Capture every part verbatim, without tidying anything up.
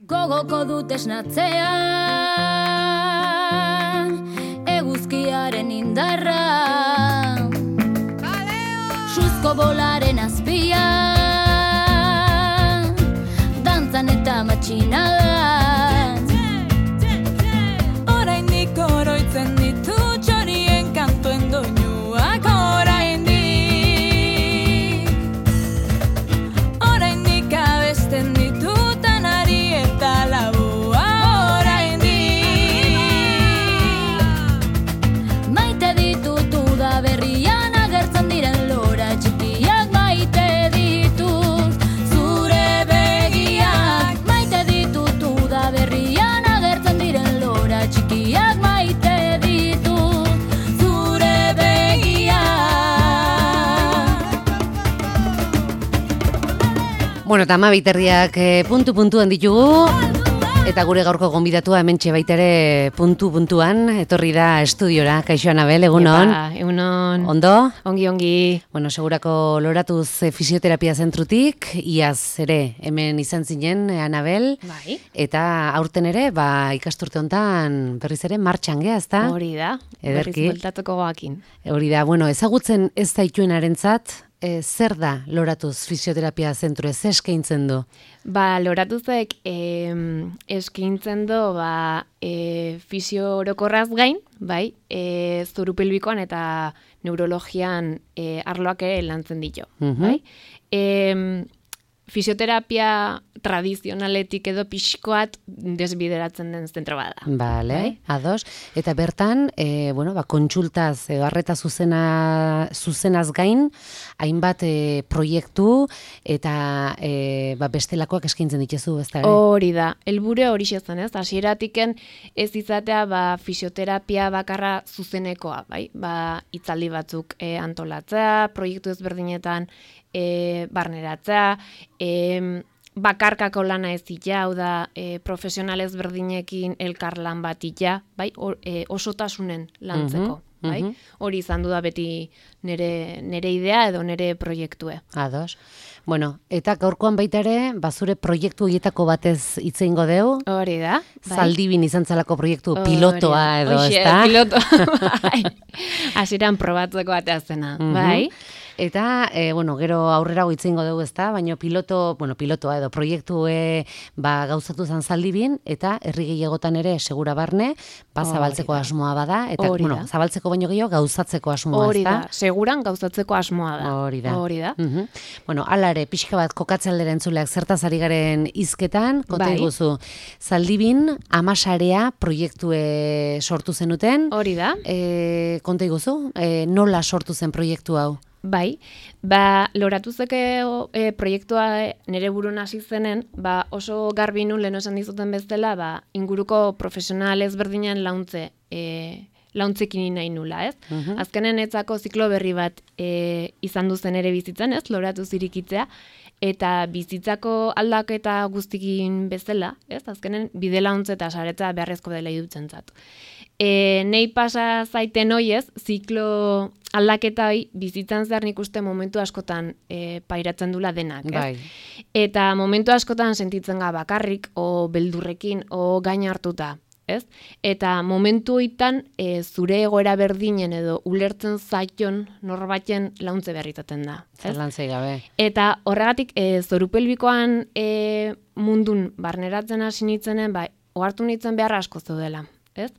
Gogoko dut esnatzea, eguzkiaren indarra, suzko bolaren azpia, dantzan eta matxinadan. Oraindik oroitzen ditu txorien kantuen doinuak, oraindik oraindik abesten ditutan ari eta labua, oraindik maite ditut uda berrian agertzen diren lora txikiak, maite ditut zure begiak, maite ditut uda berrian agertzen diren lora txikiak, maite ditut zure begiak. Bueno, eta ama biterriak eh, puntu-puntuan ditugu, eta gure gaurko gonbidatua hementxe baitere puntu-puntuan, etorri da estudiora. Kaixo Anabel, egunon? Epa, egunon. Ondo? Ongi, ongi. Bueno, segurako loratuz eh, fisioterapia zentrutik, iaz ere hemen izan zinen, eh, Anabel, Bai. eta aurten ere, ba, ikasturte hontan berriz ere martxan gea, ezta? Hori da. Ederki. Berriz bueltatuko goakin. Hori da, bueno, ezagutzen ez daituenarentzat, eh, zer da loratuz fisioterapia zentru, ez eskaintzen du? Ba, loratuzek eh, eskaintzen du ba, eh, fisio orokorraz gain, bai, eh, zuru pelbikoan eta neurologian eh, arloak ere lantzen ditu, Mhm. bai. Eh, fisioterapia tradizionaletik edo pixkoat desbideratzen den zentro bada. Bale, Bai. ados. Eta bertan, e, bueno, ba, kontsultaz, edo arreta zuzena, zuzenaz gain, hainbat e, proiektu eta e, ba, bestelakoak eskaintzen dituzu, ez da? Hori da, helburu hori zen, ez? Hasieratiken ez izatea ba, fisioterapia bakarra zuzenekoa, bai? Ba, hitzaldi batzuk e, antolatzea, proiektu ezberdinetan e, barneratzea, e, bakarkako lana ez ita, hau da, e, profesional ezberdinekin elkarlan bat ita, bai? O, e, osotasunen lantzeko. Mhm, Bai? mhm. Hori izan du da beti nere, nere idea edo nere proiektue. Ados. Bueno, eta gaurkoan baita ere, bazure proiektu horietako batez hitz egingo deu, Hori da. Bai? Zaldibin izan zelako proiektu Hori pilotoa da. edo, Hoxe, ez da? piloto. Bai. Hasieran probatzeko batea zena, Mhm. bai? Eta, e, bueno, gero aurrera goitzingo dugu, ezta, baina piloto, bueno, pilotoa edo proiektu e, ba, gauzatu zan Zaldibin, eta herri gehiagotan ere segura barne, ba, Hori zabaltzeko da. asmoa bada, eta, Hori bueno, da. zabaltzeko baino gehiago gauzatzeko asmoa, Hori ezta? da, seguran gauzatzeko asmoa da. Hori da. Hori da. Mhm. Bueno, ala ere, pixka bat kokatze aldera entzuleak zertaz ari garen hizketan, konta Bai. iguzu, Zaldibin amasarea proiektue sortu zenuten, Hori da. e, konta iguzu, e, nola sortu zen proiektu hau? Bai, ba, loratuzeke e, proiektua nire burun hasi zenen, ba, oso garbi nun lehen esan dizuten bezala, ba, inguruko profesional ezberdinen launtze, e, launtzekin nahi nula, ez? Mhm. Azkenen etzako ziklo berri bat e, izan duzen ere bizitzen, ez? Loratuz irikitzea, eta bizitzako aldaketa guztikin bezala, ez? Azkenen bide launtze eta saretza beharrezko dela idutzen zatu. E, nei pasa zaiten hoiez, ziklo aldaketa hoi bizitzan zehar nik uste momentu askotan e, pairatzen dula denak, ez? Bai. Eta momentu askotan sentitzen ga bakarrik, o beldurrekin, o gain hartuta, ez? Eta momentu hoitan e, zure egoera berdinen edo ulertzen zaion norbaiten launtze berritaten da, ez? Zerlantzei gabe. Eta horregatik e, zorupelbikoan e, mundun barneratzen hasi nitzenen, ba, ohartu nitzen beharra asko zeudela, ez?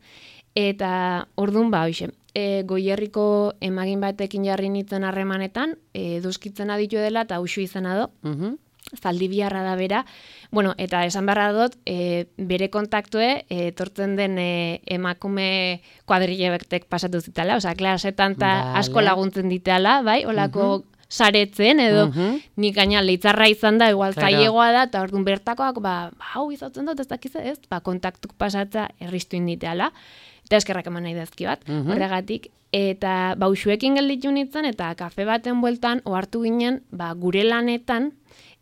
Eta ordun ba, hoxe, e, Goierriko emagin batekin jarri nitzen harremanetan, e, duskitzen aditu dela eta uxu izena do, Mhm. Zaldibiarra da bera, bueno, eta esan beharra dut, e, bere kontaktue, e, etortzen den e, emakume kuadrillebektek pasatu zitala, osea, klasetan eta Vale. asko laguntzen ditala, bai, olako saretzen, edo Mhm. nik gaina leitzarra izan da, igual Claro. zailegoa da, eta orduan bertakoak, ba, ba, hau izatzen dut, ez dakiz ez, ba, kontaktuk pasatza erristu inditeala, eta eskerrak eman nahi dazki bat, Mhm. horregatik, eta bauxuekin gelditu nintzen, eta kafe baten bueltan, ohartu ginen, ba, gure lanetan,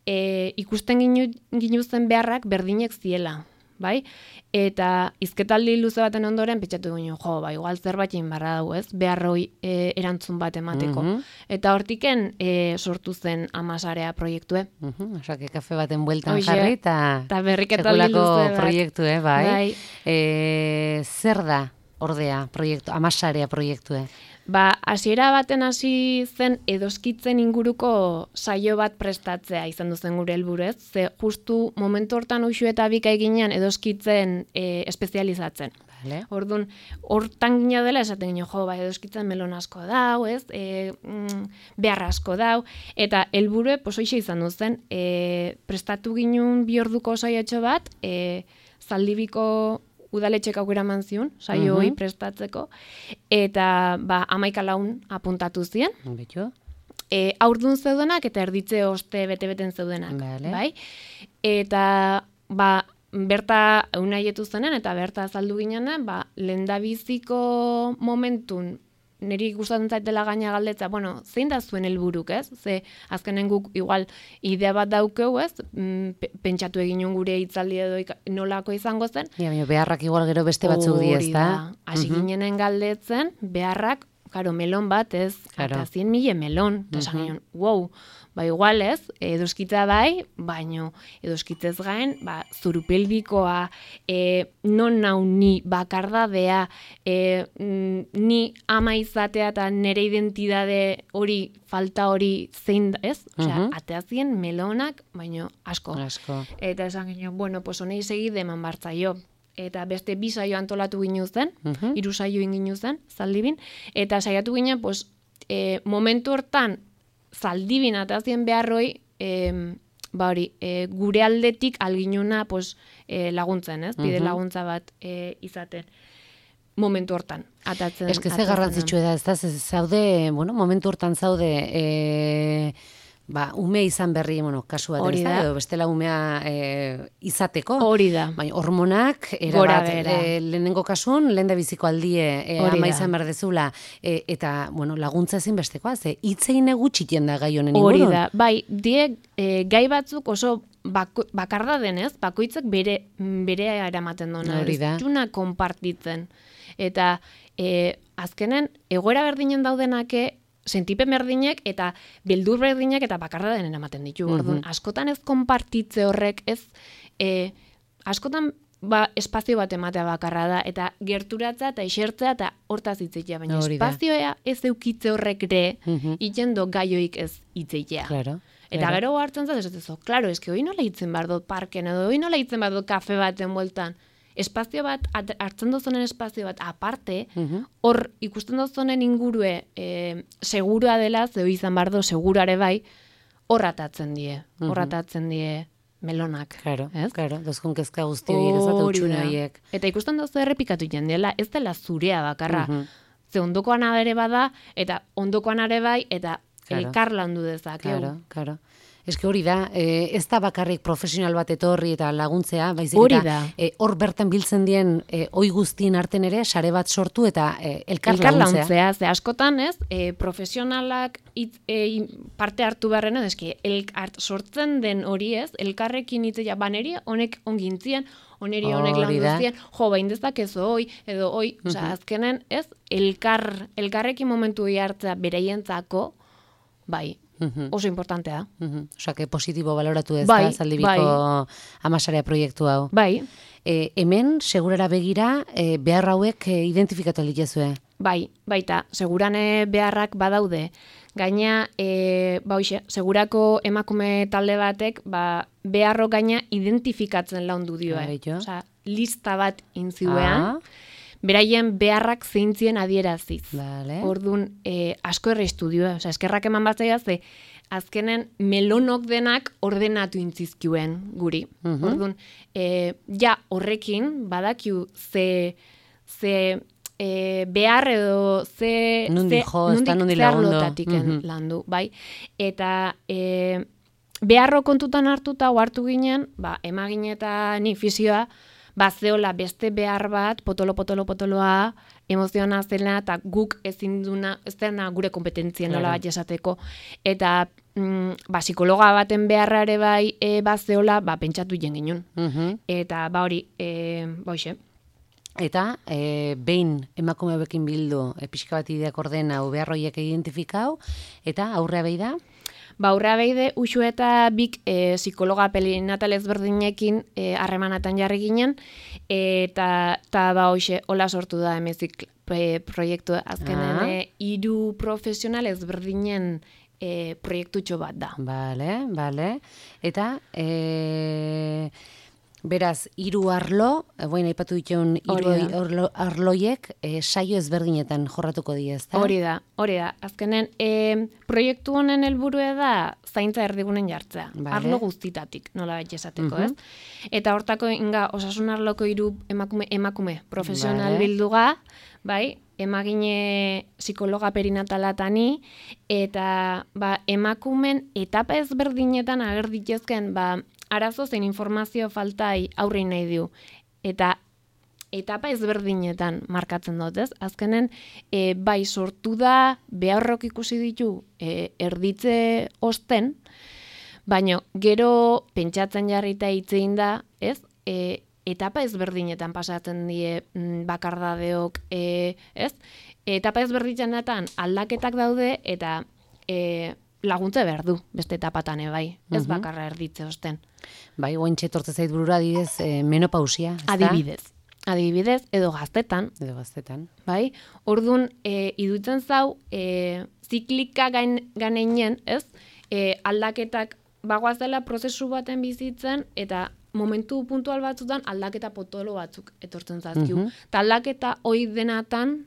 e, ikusten ginu, ginuzen beharrak berdinek ziela, bai? Eta hizketaldi luze baten ondoren pentsatu ginen, jo, ba, igual zerbait egin barra dugu, ez? Beharroi e, erantzun bat emateko. Mhm. Eta hortiken e, sortu zen Amasarea proiektue. Mhm, osake kafe baten bueltan Hoxe, jarri eta eta berriketaldi sekulako luze bat. proiektue, bai. Bai. E, zer da, ordea, proiektu, Amasarea proiektue? Ba, hasiera baten hasi zen edoskitzen inguruko saio bat prestatzea izan duzen gure helburez, ze justu momentu hortan uxu eta bika eginean edoskitzen e, espezializatzen. Vale. Orduan, hortan gina dela esaten gino, jo, ba, edoskitzen melon asko dau, ez? E, mm, behar asko dau, eta helburue posoixe izan duzen, e, prestatu ginun bi orduko saiotxo bat, e, Zaldibiko udaletxek aukera eman zion, saio hori Mhm. prestatzeko, eta ba, hamaika laun apuntatu zien, Betu? e, aurdun zeudenak eta erditze oste bete-beten zeudenak, Vale. bai? Eta ba, berta unaietu zenen eta berta azaldu ginenen, ba, lehendabiziko momentun niri gustatzen zaitela gaina galdetza, bueno, zein da zuen helburuk, ez? Ze azkenen guk igual idea bat daukeu, ez? Mm, pe- pentsatu eginun gure hitzaldi edo ika- nolako izango zen. Ja, baina beharrak igual gero beste batzuk di, Hori ezta? da. Hasi ginenen galdetzen, beharrak, karo, melon bat, ez? Claro. Eta zien mile melon. Eta esan ginen, wow, ba igual ez, edoskitza bai, baino edoskitzez gain, ba, zurupelbikoa, e, non nau ni bakardadea, e, mm, ni ama izatea eta nere identidade hori, falta hori zein da, ez? Osea, Mhm. ateazien melonak, baino asko. Asko. Eta esan ginen, bueno, pues honei segide eman bartzaio. Eta beste bi saio antolatu ginu zen, Mhm. hiru saio inginu zen, Zaldibin, eta saiatu ginen, pues, e, momentu hortan, Zaldibin atazien beharroi, e, ba hori, e, gure aldetik alginuna, pues, e, laguntzen, ez? Bide Mhm. laguntza bat e, izaten. Momentu hortan, atatzen. Ez que ze atatzen garrantzitsua da, ez da, ze zaude, bueno, momentu hortan zaude, e, ba, ume izan berri, bueno, kasu bat, Hori ez da, da. edo bestela umea e, izateko. Hori da. Baina hormonak, Gora erabat, behera. e, lehenengo kasun, lehen da biziko aldie, e, Hori ama da. izan behar dezula, e, eta, bueno, laguntza ezin bestekoa, ze hitzein egutxiten da gai honen Hori ingurun. da, bai, die e, gai batzuk oso bako, bakarda denez, bakoitzak bere bere eramaten dona, Hori da. ez duna konpartitzen. Eta e, azkenen egoera berdinen daudenake sentipen berdinek eta beldur berdinek eta bakarda denen ematen ditu. Orduan, askotan ez konpartitze horrek, ez e, askotan ba, espazio bat ematea bakarra da, eta gerturatza eta esertzea eta hortaz hitzitea, baina Hori da. espazioa ez eukitze horrek ere, Mhm. itxendo gaioik ez hitzitea. Claro. Eta claro. gero hartzen zaz, esatezo, klaro, eske hoi nola hitzen behar dut parken, edo hoi nola hitzen behar dut kafe baten bueltan. Espazio bat, at- hartzen dozunen espazio bat aparte, Mhm. hor ikusten dozunen ingurue e, segurua dela, zeu izan behar du segurare bai, hor atatzen die, hor atatzen die melonak. Claro, ez? claro, dozkun kezka guzti horiek, ez da, Hori utxune da. horiek. Eta ikusten dozu errepikatu jendela, ez dela zurea bakarra. Mhm. Ze ondokoan ere bada, eta ondokoan ere bai, eta Claro. elkar landu dezakegu. Claro, claro. Ez que hori da, eh, ez da bakarrik profesional bat etorri eta laguntzea, baizik Hori eta da. eh, hor bertan biltzen dien eh, oi guztien arten ere sare bat sortu eta eh, elkar, Elkar laguntzea. launtzea, ze askotan ez, e, profesionalak hitz- e, parte hartu beharren, eski, el, art, sortzen den hori ez, elkarrekin hitzea, baneri honek ongintzien, oneri honek Hori da. landuzien, jo, bain dezakezu hoi, edo hoi, osea, azkenen ez, elkar, elkarrekin momentu hori hartzea beraientzako, bai, Mhm. oso importantea da. Mhm. Osea, que positibo baloratu ez Bai, da, Zaldibiko bai. Amasarea proiektu hau. Bai, E, hemen, segurara begira, e, behar hauek e, identifikatu litezue. bai, baita, segurane beharrak badaude. Gaina, e, ba hoxe, segurako emakume talde batek, ba, beharro gaina identifikatzen laundu dioe. Ah, beito. Osea, lista bat intziuean, Ah. beraien beharrak zeintzien adieraziz. Vale. Orduan, e, asko erreistu dioe. Osea, eskerrak eman batzaia ze, azkenen melonok denak ordenatu intzizkioen guri. Mhm. Orduan, e, ja horrekin badakiu ze, ze e, behar edo ze, Nondik ze, jo, ezta nondik ze lagundu. arlotatiken Mhm. landu, bai? Eta e, beharro kontutan hartuta hartu ginen, ba, emagin eta ni fisioa, ba, zeola beste behar bat, potolo, potolo, potoloa, emoziona zela, eta guk ezin duna, ez dena gure kompetentzien nola Claro. bat esateko. Eta mm, ba, psikologa baten beharrare bai e, bazeola, ba, pentsatu jen ginen. Mhm. Eta ba hori, e, ba hoxe. Eta e, behin emakume bekin bildu e, pixka bat ideak ordena behar horiek identifikau, eta aurrea behi da? Ba, aurrea beide, usu eta bik e, psikologa pelinatal ezberdinekin harremanatan jarri ginen, eta ta, ba hoxe, hola sortu da emezik e, proiektu azkenen Ah. e, hiru profesional ezberdinen e, proiektutxo bat da. Bale, bale. Eta, e, beraz, hiru arlo, e, boin aipatu dituen hiru Hori da. arlo, arloiek e, saio ezberdinetan jorratuko die, ezta? Hori da, hori da. Azkenen, e, proiektu honen helburua da zaintza erdigunen jartzea. Vale. Arlo guztitatik, nola baita esateko, Mhm. ez? Eta hortako inga osasun arloko hiru emakume, emakume profesional Vale. bilduga, bai, emagine psikologa perinatalata eta ba, emakumen etapa ezberdinetan ager ditezken ba, arazo zein informazio faltai aurre nahi diu. Eta etapa ezberdinetan markatzen dut, ez? Azkenen, e, bai sortu da, beharrok ikusi ditu e, erditze osten, baina gero pentsatzen jarrita hitzein da, ez? E, etapa ezberdinetan pasatzen die mm, bakardadeok, e, ez? Etapa ezberdinetan aldaketak daude eta e, laguntza behar du beste etapatan bai, ez Mhm. bakarra erditze osten. Bai, guaintxe tortze zait burura adibidez e, menopausia, ezta? Adibidez. Adibidez, edo gaztetan, Edo gaztetan. bai? Orduan, e, idutzen zau, e, ziklika gain, ganeinen, ez? E, aldaketak bagoazela prozesu baten bizitzen, eta momentu puntual batzutan aldaketa potolo batzuk etortzen zazkiu. Mhm. Ta aldaketa hoi denatan,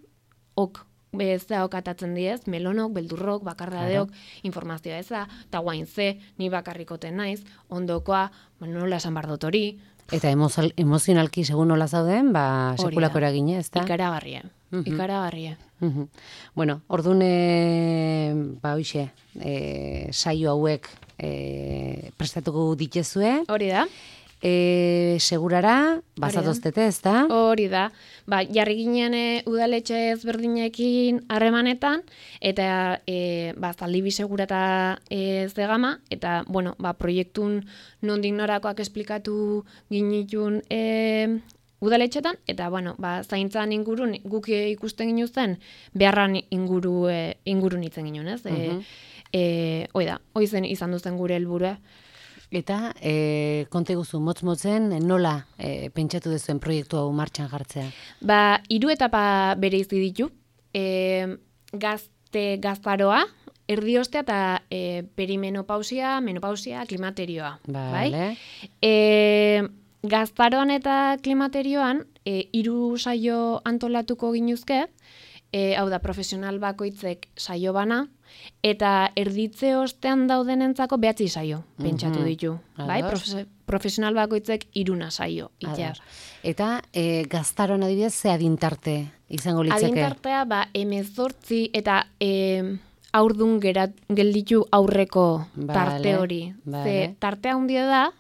ok, bezea okatatzen diez, melonok, beldurrok, bakardadeok, informazioa eza, eta guain ze, ni bakarrikoten naiz, ondokoa, ba, nola esan bar dut hori, Eta emozal, emozionalki segun nola zauden, ba, Hori da. sekulako eragine, ezta? ikaragarria, Mhm. ikaragarria. Mhm. Bueno, orduan, e, ba, hoxe, e, saio hauek e, prestatuko ditezue, Hori da? e, segurara, bazatoztete, ezta? Hori da. Ba, jarri ginen e, udaletxe ezberdinekin harremanetan, eta e, ba, zaldibi segura eta e, zegama, eta, bueno, ba, proiektun nondik norakoak esplikatu ginitun e, udaletxetan, eta, bueno, ba, zaintzan ingurun guk ikusten ginu zen, beharran inguru, e, ingurun itzen ginen, ez? E, Mhm. e, hoi da, hoi zen izan duzen gure helburua. Eta, e, konte guzu, motz-motzen, nola e, pentsatu duzuen proiektu hau martxan jartzea? Ba, hiru etapa bereizi ditu. E, gazte gaztaroa, erdiostea eta e, perimenopausia, menopausia, klimaterioa. Bai? Vale. E, gaztaroan eta klimaterioan, e, hiru saio antolatuko ginuzke, e, hau da, profesional bakoitzek saio bana, eta erditze ostean daudenentzako behatzi saio pentsatu Mhm. ditu. Bai? Ados. Profe- profesional bakoitzek iruna saio itear. Ados. Eta e, gaztaroan adibidez, ze adintarte izango litzeke? Adintartea, ba, emezortzi eta e, aurdun gerat, gelditu aurreko tarte Vale, hori. vale. Ze tartea handia da,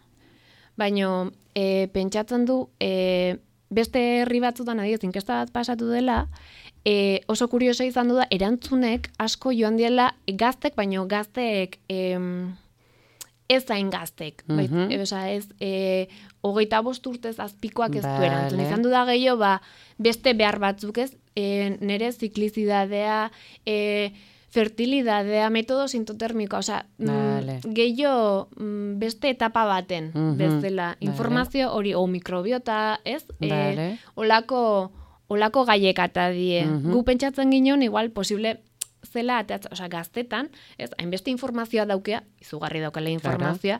baina e, pentsatzen du e, beste herri batzutan adibidez inkesta bat pasatu dela, e, oso kuriosa izan du da, erantzunek asko joan diela gaztek, baino gazteek em, ez zain gaztek. Bait, Mhm. e, osea, ez e, hogeita bost urtez azpikoak ez du Vale. erantzun. Izan du da gehiago, ba, beste behar batzuk ez, e, nire ziklizidadea, e, fertilidadea, metodo sintotermikoa, osea, Vale. mm, gehiago mm, beste etapa baten Mhm. bezala. Vale. Informazio hori, o mikrobiota, ez? Vale. E, olako, olako gaiek ata die. Mhm. Gu pentsatzen ginen, igual, posible zela, ateatza, osea, gaztetan, ez, hainbeste informazioa daukea, izugarri daukala informazioa,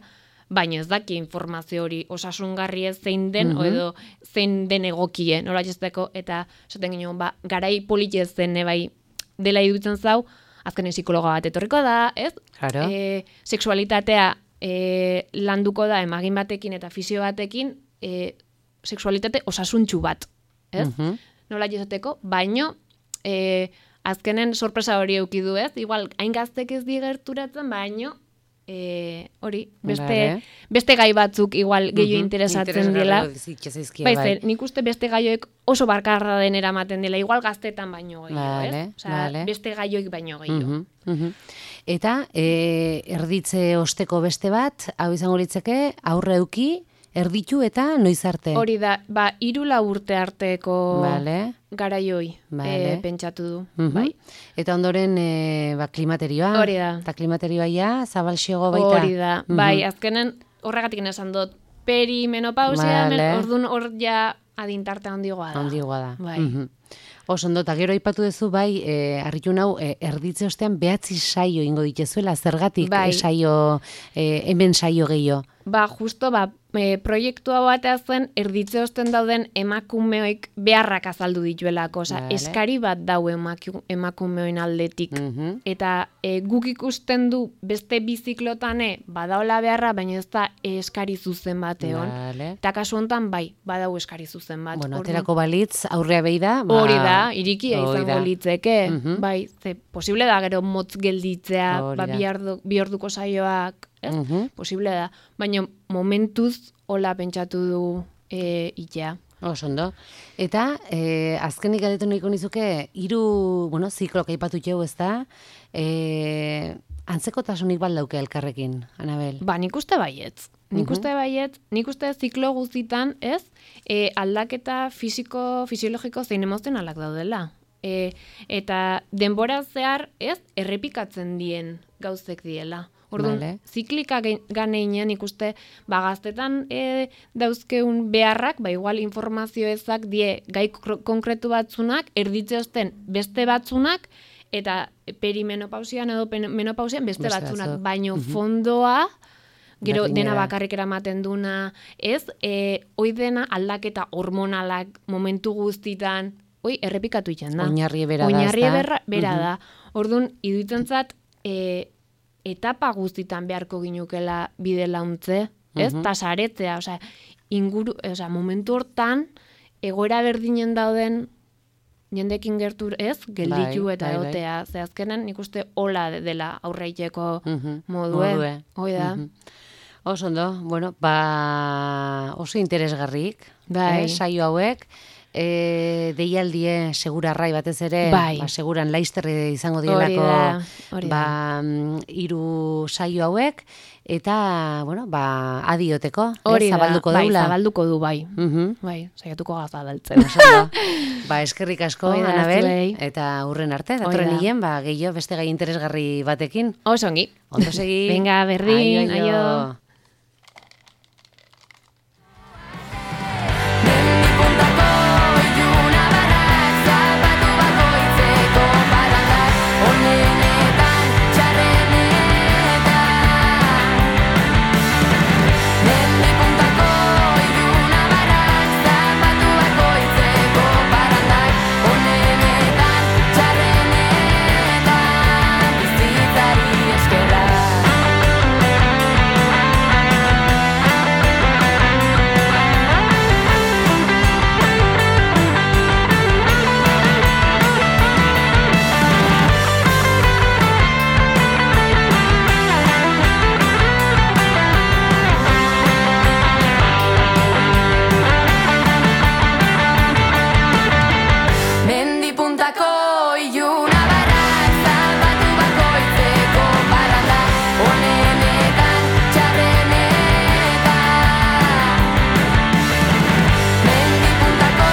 baina ez daki informazio hori osasungarri ez zein den, Mhm. o edo zein den egokie, nola jesteko, eta esaten ginen, ba, garai politez zen bai dela iruditzen zau, azkenen psikologa bat etorriko da, ez? Claro. E, sexualitatea e, landuko da emagin batekin eta fisio batekin, e, sexualitate osasuntxu bat, ez? Mhm. Nola esateko, baino e, azkenen sorpresa hori eduki du, ez? Igual, hain gaztek ez digerturatzen, baino e, hori, beste, Vale. beste gai batzuk igual gehiago Mhm. interesatzen dela. Interesgarri Bai, bai. zer, nik uste beste gaioek oso barkarra den eramaten dela, igual gaztetan baino gehiago, Vale, ez? Osea, vale. beste gaioik baino gehiago. Mhm, mhm. Eta e, erditze osteko beste bat, hau izango litzeke, aurre euki, erditu eta noiz arte. Hori da, ba, hiru lau urte arteko Vale. garaioi Vale. e, pentsatu du. Mhm. Bai. Eta ondoren e, ba, klimaterioa. Hori da. Eta klimaterioa ja, zabalxiogo baita. Hori da, Mhm. bai, azkenen horregatik esan dut perimenopausia, Vale. men, orduan hor ja adintarte handigoa da. Handigoa da. Bai. Mhm. Oso ondo, eta gero aipatu duzu, bai, e, harritu nau, e, erditze ostean behatzi saio ingo ditezuela, zergatik Bai. e, saio, e, hemen saio gehiago. Ba, justo, ba, e, proiektu hau batea zen, erditze osten dauden emakumeoik beharrak azaldu dituelako, oza, Vale. eskari bat dau emaku, emakumeoen aldetik. Mhm. Eta e, guk ikusten du beste biziklotane badaola beharra, baina ez da eskari zuzen bat egon. Vale. Eta kasu honetan, bai, badau eskari zuzen bat. Bueno, Orduan- aterako balitz, aurrea behi da. Ba, Hori da, irikia hori izango da. litzeke, Mhm. bai, ze posible da gero motz gelditzea, Hori ba, da. bi, ardu, bi orduko saioak, ez? Mhm. Posible da, baina momentuz hola pentsatu du e, itea. Oso ondo. Eta, e, azkenik galdetu nahiko nizuke, hiru, bueno, ziklok aipatu jau, ez da, e, antzekotasunik baldauke elkarrekin, Anabel? Ba, nik uste baietz. Nik Mhm. uste baietz, nik uste ziklo guztitan, ez, e, aldaketa fisiko, fisiologiko zein emozionalak daudela. E, eta denbora zehar, ez, errepikatzen dien gauzek diela. Orduan, Vale. ziklika ganeinean ikuste, ba, gaztetan e, dauzkeun beharrak, ba, igual informazio ezak die gai kro- konkretu batzunak, erditze osten beste batzunak, eta perimenopausian edo pen- menopausian beste, Beste batzunak, batzuk. baino Mhm. fondoa, gero Berdina dena da. bakarrik eramaten duna, ez, e, hoi dena aldaketa hormonalak momentu guztitan, hoi errepikatu iten da. Oinarri bera da, Oinarri ezta? berra, bera Mhm. da. Orduan, iduitzen zat, e, etapa guztitan beharko ginukela bide launtze, ez? Mhm. Ta saretzea, osea, inguru, osea, momentu hortan, egoera berdinen dauden jendekin gertur, ez? Gelditu Bai, eta bai, bai. egotea. Ze azkenen nik uste hola dela aurreiteko Mhm. modue. Modue. Hoi da. Mhm. Oso ondo, bueno, ba, oso interesgarrik, Bai. eh, saio hauek, e, deialdie segurarrai batez ere, Bai. ba, seguran laizterre izango Hori dielako da, hori da. ba, mm, hiru saio hauek, eta, bueno, ba, adioteko, Hori eh, da, zabalduko bai, daula. zabalduko du, bai. Mhm. Bai, saiatuko ga zabaltzen. Oso ondo. Ba, eskerrik asko, Hoi da, Anabel, zuei. eta hurren arte, Hoi datorren da. hilen, ba, gehiago beste gai interesgarri batekin. Oso ongi. Ondo segi. Venga, berdin, Aio, aio. Mendi puntako iluna barrak zapatu bakoitzeko parrandak onenetan txarrenetan. Mendi puntako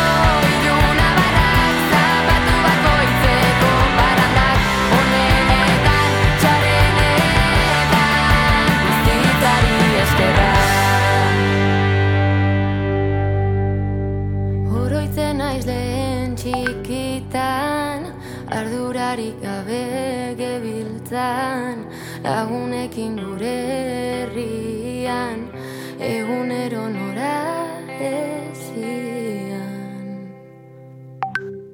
iluna barrak zapatu bakoitzeko parrandak onenetan txarrenetan bizitzari eskerra. Oroitzen naiz lehen txikitan, ardurarik gabe gebiltzan, lagunekin gure herrian, egunero nora